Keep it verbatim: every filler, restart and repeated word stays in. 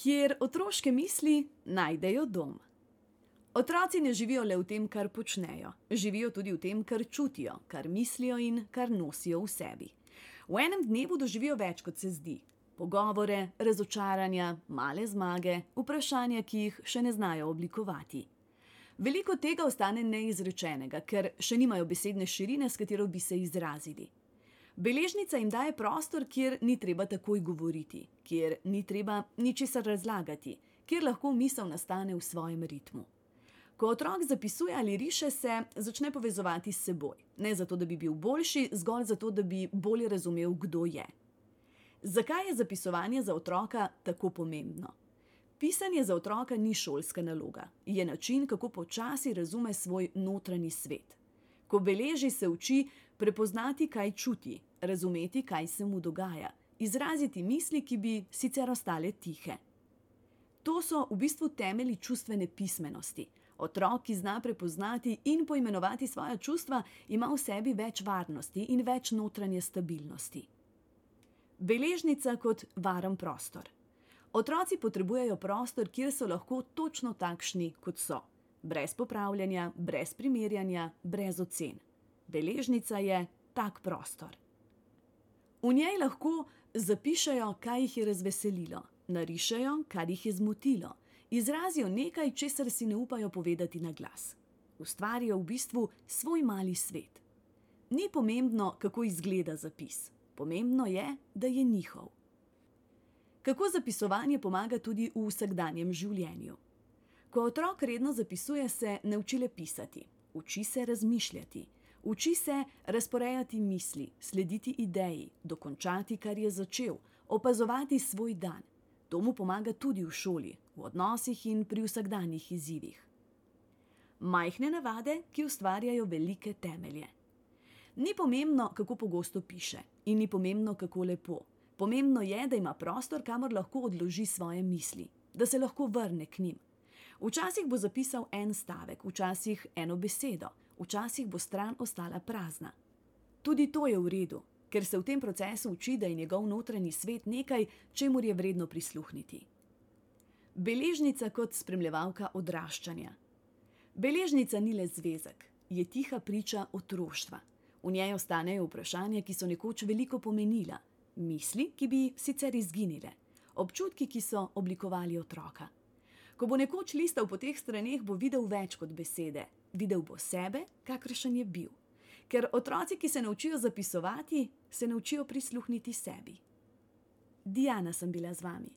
kjer otroške misli najdejo dom. Otroci ne živijo le v tem, kar počnejo, živijo tudi v tem, kar čutijo, kar mislijo in kar nosijo v sebi. V enem dnevu doživijo več, kot se zdi. Pogovore, razočaranja, male zmage, vprašanja, ki jih še ne znajo oblikovati. Veliko tega ostane neizrečenega, ker še nimajo besedne širine, s katero bi se izrazili. Beležnica jim daje prostor, kjer ni treba takoj govoriti, kjer ni treba ničesar razlagati, kjer lahko misel nastane v svojem ritmu. Ko otrok zapisuje ali riše, se začne povezovati s seboj. Ne zato, da bi bil boljši, zgolj zato, da bi bolje razumel, kdo je. Zakaj je zapisovanje za otroka tako pomembno? Pisanje za otroka ni šolska naloga. Je način, kako počasi razume svoj notranji svet. Ko beleži, se uči prepoznati, kaj čuti, razumeti, kaj se mu dogaja, izraziti misli, ki bi sicer ostale tihe. To so v bistvu temelji čustvene pismenosti. Otrok, ki zna prepoznati in poimenovati svoja čustva, ima v sebi več varnosti in več notranje stabilnosti. Beležnica kot varen prostor. Otroci potrebujejo prostor, kjer so lahko točno takšni, kot so. Brez popravljanja, brez primerjanja, brez ocen. Beležnica je tak prostor. V njej lahko zapišejo, kaj jih je razveselilo, narišejo, kar jih je zmotilo, izrazijo nekaj, česar si ne upajo povedati na glas. Ustvarijo v bistvu svoj mali svet. Ni pomembno, kako izgleda zapis. Pomembno je, da je njihov. Kako zapisovanje pomaga tudi v vsakdanjem življenju? Ko otrok redno zapisuje, se ne uči le pisati. Uči se razmišljati. Uči se razporejati misli, slediti ideji, dokončati, kar je začel, opazovati svoj dan. To mu pomaga tudi v šoli, v odnosih in pri vsakdanjih izzivih. Majhne navade, ki ustvarjajo velike temelje. Ni pomembno, kako pogosto piše, in ni pomembno, kako lepo. Pomembno je, da ima prostor, kamor lahko odloži svoje misli, da se lahko vrne k njim. Včasih bo zapisal en stavek, včasih eno besedo, včasih bo stran ostala prazna. Tudi to je v redu, ker se v tem procesu uči, da je njegov notranji svet nekaj, čemur je vredno prisluhniti. Beležnica kot spremljevalka odraščanja. Beležnica ni le zvezek, je tiha priča otroštva. V njej ostanejo vprašanja, ki so nekoč veliko pomenila, misli, ki bi sicer izginile, občutki, ki so oblikovali otroka. Ko bo nekoč listal po teh straneh, bo videl več kot besede. Videl bo sebe, kakršen je bil. Ker otroci, ki se naučijo zapisovati, se naučijo prisluhniti sebi. Diana sem bila z vami.